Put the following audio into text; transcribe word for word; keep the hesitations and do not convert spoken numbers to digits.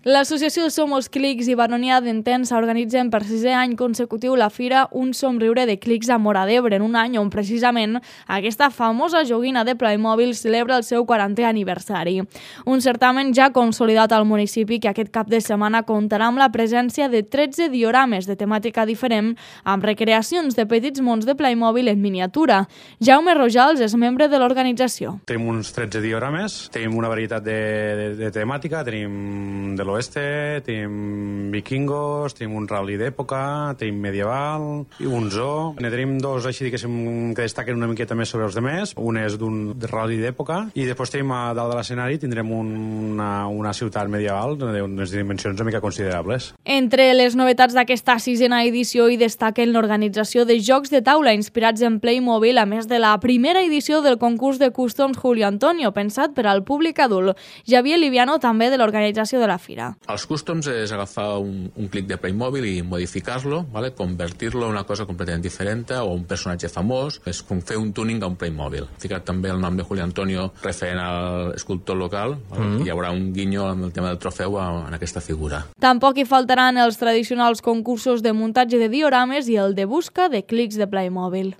L'associació Somos Clics i Baronia d'Entença organitzen per sisè any consecutiu la fira Un somriure de clics a Móra d'Ebre, en un any on precisament aquesta famosa joguina de Playmobil celebra el seu quarantè aniversari. Un certamen ja consolidat al municipi que aquest cap de setmana comptarà amb la presència de tretze diorames de temàtica diferent amb recreacions de petits mons de Playmobil en miniatura. Jaume Rojals és membre de l'organització. Tenim uns tretze diorames, tenim una varietat de, de, de temàtica, tenim de l'oeste, tenim vikingos, tenim un rally d'època, tenim medieval i un zoo. Ne tenim dos així que, que destaquen una miqueta més sobre els demés. Un és d'un rally d'època i després tenim a dalt de l'escenari tindrem una, una ciutat medieval d'unes dimensions una mica considerables. Entre les novetats d'aquesta sisena edició hi destaquen l'organització de jocs de taula inspirats en Playmobil, a més de la primera edició del concurs de Customs Julio Antonio, pensat per al públic adult. Javier Liviano, també de l'organització de la fira. Els cústoms és agafar un, un clic de Playmobil i modificar-lo, ¿vale? Convertir-lo en una cosa completament diferent o un personatge famós. És com fer un tuning a un Playmobil. He ficat també el nom de Julio Antonio referent al escultor local, ¿vale? Mm-hmm. Hi haurà un guinyo amb el tema del trofeu en aquesta figura. Tampoc hi faltaran els tradicionals concursos de muntatge de diorames i el de busca de clics de Playmobil.